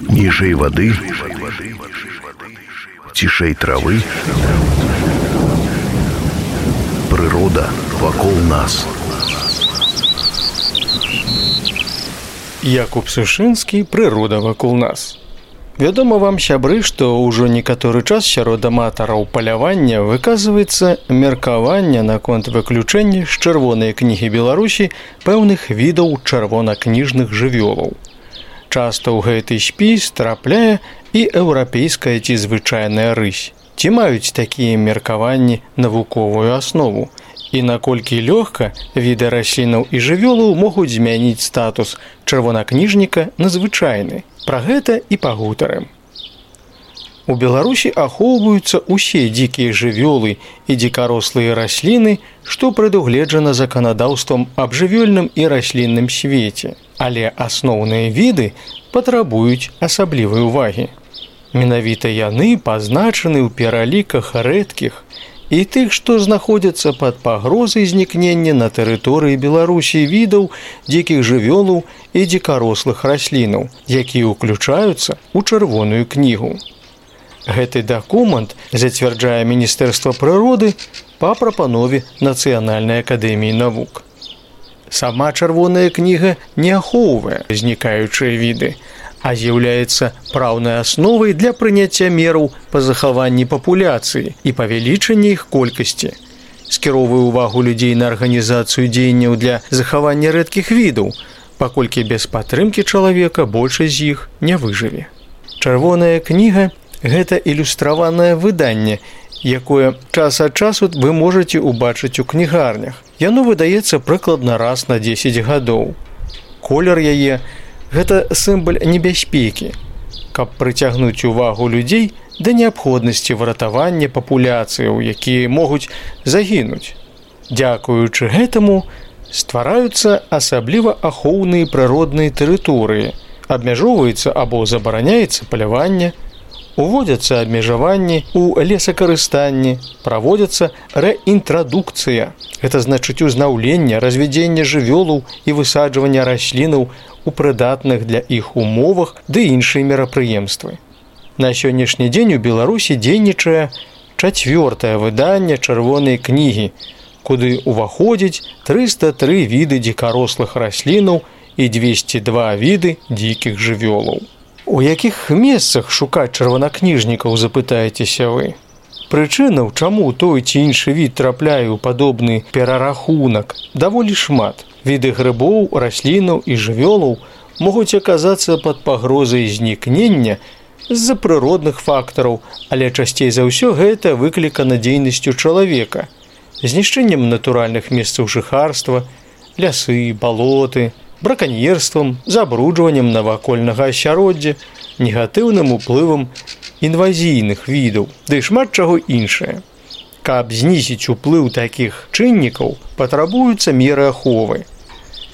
Ніжэй вады, цішэй травы, прырода вакол нас. Якуб Сушынскі, прырода вакол нас. Вядома вам, сябры, што ўжо некаторы час сярод аматараў палявання выказваецца меркаванне наконт выключэння з чырвонай кнігі Беларусі пэўных відаў чырвонакніжных жывёлаў. Часта ў гэты спіс трапляе і еўрапейская ці звычайная рысь. Ці маюць такія меркаванні навуковую аснову? І наколькі лёгка віды раслінаў і жывёлаў могуць змяніць статус чырвонакніжніка на звычайны. Пра гэта і пагутарым. У Беларусі ахоўваюцца ўсе дзікія жывёлы і дзікарослыя расліны, што прадугледжана заканадаўствам аб жывёльным і раслінным свеце. Але асноўныя віды патрабуюць асаблівай увагі. Менавіта яны пазначаны ў пераліках рэдкіх і тых, што знаходзяцца пад пагрозай знікнення на тэрыторыі Беларусі відаў дзікіх жывёлаў і дзікарослых раслінаў, якія ўключаюцца ў чырвоную кнігу. Гэты дакумент зацвярджае Міністэрства прыроды па прапанове Нацыянальнай акадэміі навук. Сама чырвоная кніга не ахоўвае знікаючыя віды, а з'яўляецца праўнай асновай для прыняцця мераў па захаванні папуляцыі і павялічэння іх колькасці. Скіроўвае ўвагу людзей на арганізацыю дзеянняў для захавання рэдкіх відаў, паколькі без падтрымкі чалавека большасць з іх не выжыве. Чырвоная кніга – гэта ілюстраванае выданне, якое час ад часу вы можаце ўбачыць у кнігарнях. Яно выдаецца прыкладна раз на 10 гадоў. Колер яе – гэта сімвал небяспекі, каб прыцягнуць увагу людзей да неабходнасці выратавання папуляцыяў, якія могуць загінуць. Дзякуючы гэтаму ствараюцца асабліва ахоўныя прыродныя тэрыторыі, абмяжоўваецца або забараняецца паляванне, уводзяцца абмежаванні ў лесакарыстанні, праводзяцца рэінтрадукцыя. Гэта значыць узнаўленне, развядзенне жывёлаў і высаджванне раслінаў у прыдатных для іх умовах ды іншыя мерапрыемствы. На сённяшні дзень у Беларусі дзейнічае 4-е выданне чырвонай кнігі, куды ўваходзяць 303 віды дзікарослых раслінаў і 202 віды дзікіх жывёлаў. У якіх месцах шукаць чырвонакніжнікаў, запытаецеся вы? Прычынаў, чаму той ці іншы від трапляе ў падобны перарахунак, даволі шмат. Віды грыбоў, раслінаў і жывёлаў могуць аказацца пад пагрозай знікнення з-за прыродных фактараў, але часцей за ўсё гэта выклікана дзейнасцю чалавека, знішчэннем натуральных месцаў жыхарства, лясы, балоты, браканьерствам, забруджваннем навакольнага асяроддзя, негатыўным уплывам інвазійных відаў, ды шмат чаго іншае. Каб знізіць уплыў такіх чыннікаў, патрабуюцца меры аховы.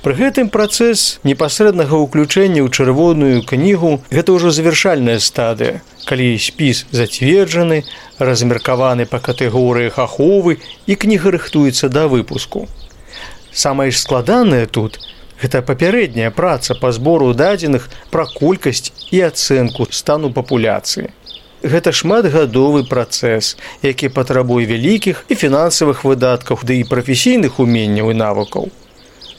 Пры гэтым працэс непасрэднага ўключэння ў чырвоную кнігу – гэта ўжо завяршальная стадыя, калі спіс зацверджаны, размеркаваны па катэгорыях аховы і кніга рыхтуецца да выпуску. Самае ж складанае тут – гэта папярэдняя праца па збору дадзеных пра колькасць і ацэнку стану папуляцыі. Гэта шматгадовы працэс, які патрабуе вялікіх і фінансавых выдаткаў, ды і прафесійных уменняў і навыкаў.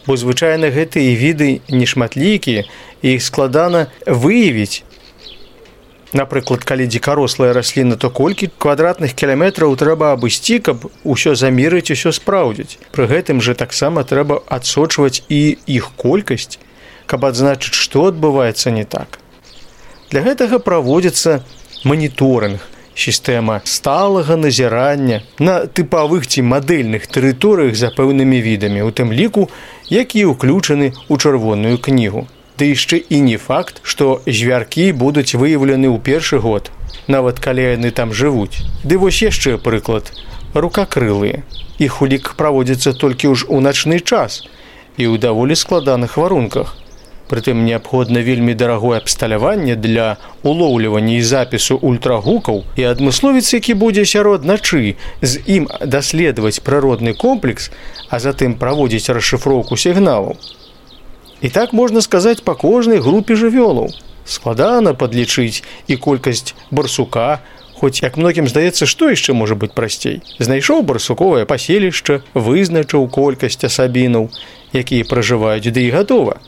Бо звычайна гэтыя віды нешматлікія, і іх складана выявіць. Напрыклад, калі дзікарослая расліна, то колькі квадратных кіламетраў трэба абысці, каб усё замерыць, усё спраўдзіць. Пры гэтым жа таксама трэба адсочваць і іх колькасць, каб адзначыць, што адбываецца не так. Для гэтага праводзіцца маніторынг, сістэма сталага назірання на тыпавых ці мадэльных тэрыторыях за пэўнымі відамі, у тым ліку, якія ўключаны ў чырвоную кнігу. Ды яшчэ і не факт, што звяркі будуць выяўлены ў першы год, нават калі яны там жывуць. Ды вось яшчэ прыклад – рукакрылыя. Іх улік праводзіцца толькі ўж у начны час і ў даволі складаных варунках. Прытым неабходна вельмі дарагое абсталяванне для улоўлівання і запісу ультрагукаў, і адмысловец, які будзе сярод начы з ім даследаваць прыродны комплекс, а затым праводзіць расшыфроўку сігналаў. І так можна сказаць па кожнай групе жывёлаў. Складана падлічыць і колькасць барсука, хоць, як многім здаецца, што яшчэ можа быць прасцей. Знайшоў барсуковае паселішча, вызначыў колькасць асабінаў, якія пражываюць, ды і гатова.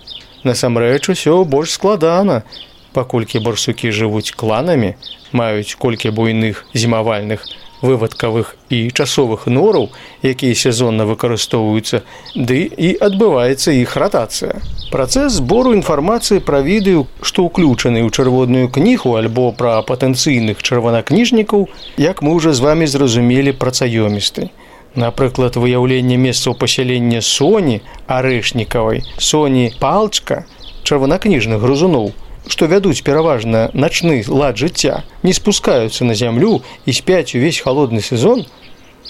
Насамрэч, усё больш складана, паколькі барсукі жывуць кланамі, маюць колькі буйных зімавальных, вывадкавых і часовых нораў, якія сезонна выкарыстоўваюцца, ды і адбываецца іх ратацыя. Працэс збору інфармацыі пра віды, што ўключаны ў чырвоную кнігу альбо пра патэнцыйных чырванакніжнікаў, як мы ўжо з вамі зразумелі, працаёмісты. Напрыклад, выяўленне месцаў пасялення соні арэшнікавай, соні палчка, чырванакніжных грызуноў, што вядуць пераважна начны лад жыцця, не спускаюцца на зямлю і спяць увесь халодны сезон,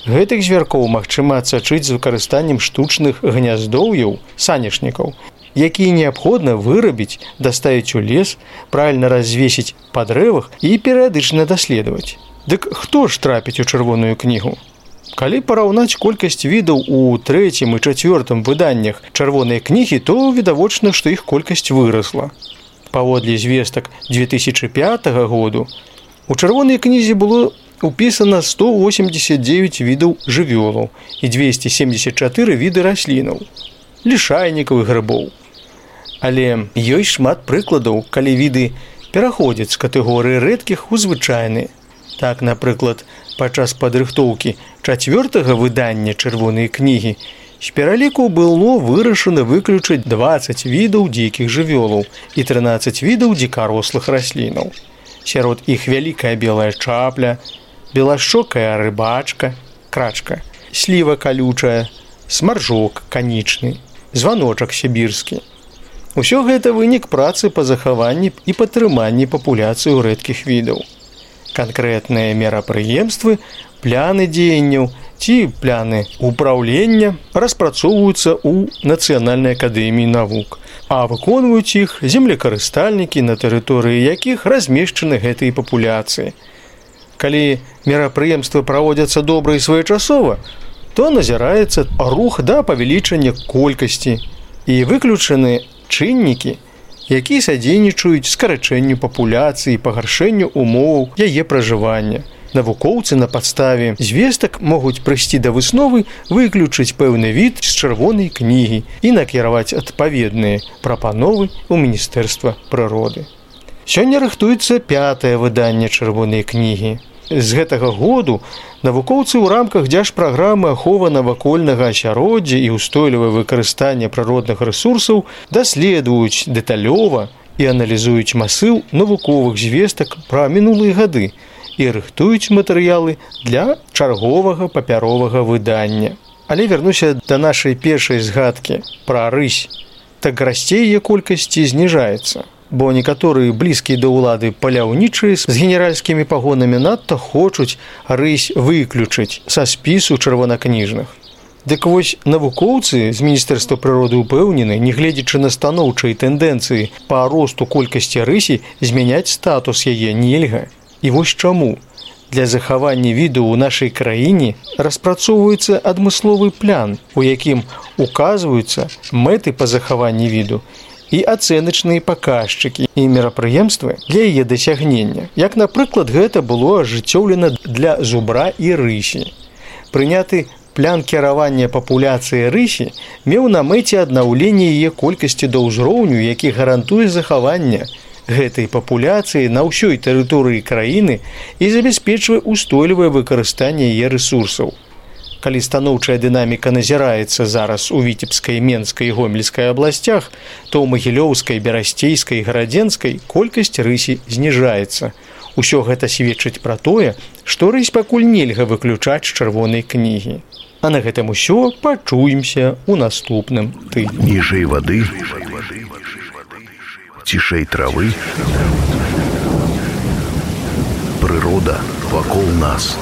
гэтых звяркоў магчыма адсачыць з выкарыстаннем штучных гняздоўяў, санечнікаў, якія неабходна вырабіць, даставіць у лес, правільна развесіць па дрэвах і перыядычна даследаваць. Дык хто ж трапіць у чырвоную кнігу? Калі параўнаць колькасць відаў у 3-м і 4-м выданнях чырвонай кнігі, то відавочна, што іх колькасць вырасла. Паводле звестак 2005 году у чырвонай кнізе было упісана 189 відаў жывёлаў і 274 віды раслінаў, лішайнікаў і грыбоў. Але ёсць шмат прыкладаў, калі віды пераходзяць з катэгорыі рэдкіх у звычайныя. Так, напрыклад, падчас падрыхтоўкі 4-го выдання чырвонай кнігі з пераліку было вырашана выключыць 20 відаў дзікіх жывёлаў і 13 відаў дзікарослых раслінаў. Сярод іх вялікая белая чапля, белашчокая рыбачка, крачка, сліва калючая, смаржок канічны, званочак сібірскі. Усё гэта вынік працы па захаванні і падтрыманні папуляцыі рэдкіх відаў. Канкрэтныя мерапрыемствы, пляны дзеянняў ці пляны ўпраўлення распрацоўваюцца ў Нацыянальнай акадэміі навук, а выконваюць іх землекарыстальнікі, на тэрыторыі якіх размешчаны гэтыя папуляцыі. Калі мерапрыемствы праводзяцца добра і своечасова, то назіраецца рух да павялічання колькасці і выключаны чыннікі, якія садзейнічаюць скарачэнню папуляцыі і пагаршэнню умоваў яе пражывання. Навукоўцы на падставе звестак могуць прыйсці да высновы выключыць пэўны від з чырвонай кнігі і накіраваць адпаведныя прапановы ў Міністэрства прыроды. Сёння рыхтуецца 5-е выданне чырвонай кнігі. З гэтага году навукоўцы ў рамках дзяржпраграмы аховы навакольнага асяроддзя і ўстойлівае выкарыстанне прыродных рэсурсаў даследуюць дэталёва і аналізуюць масыў навуковых звестак пра минулыя гады і рыхтуюць матэрыялы для чарговага папяровага выдання. Але вернуся да нашай першай згадкі пра рысь. Так расце яе колькасць і зніжаецца. Бо некаторыя блізкія да ўлады паляўнічыя з генеральскімі пагонамі надта хочуць рысь выключыць са спісу чырванакніжных. Дык вось навукоўцы з Міністэрства прыроды ўпэўнены, нягледзячы на станоўчыя тэндэнцыі па росту колькасці рысі, змяняць статус яе нельга. І вось чаму. Для захавання віду ў нашай краіне распрацоўваецца адмысловы план, у якім указваюцца мэты па захаванні віду і ацэначныя паказчыкі і мерапрыемствы для яе дасягнення. Як, напрыклад, гэта было ажыццёўлена для зубра і рысі. Прыняты плян кіравання папуляцыі рысі меў на мэце аднаўленне яе колькасці да ўзроўню, які гарантуе захаванне гэтай папуляцыі на ўсёй тэрыторыі краіны і забяспечвае ўстойлівае выкарыстанне яе рэсурсаў. Калі станоўчая дынаміка назіраецца зараз у Віцебскай, Менскай і Гомельскай абласцях, то ў Магілёўскай, Берасцейскай і Гарадзенскай колькасць рысі зніжаецца. Усё гэта сведчыць пра тое, што рысь пакуль нельга выключаць з чырвонай кнігі. А на гэтым усё, пачуемся ў наступным тыдні. Ніжэй вады, цішэй травы, прырода вакол нас.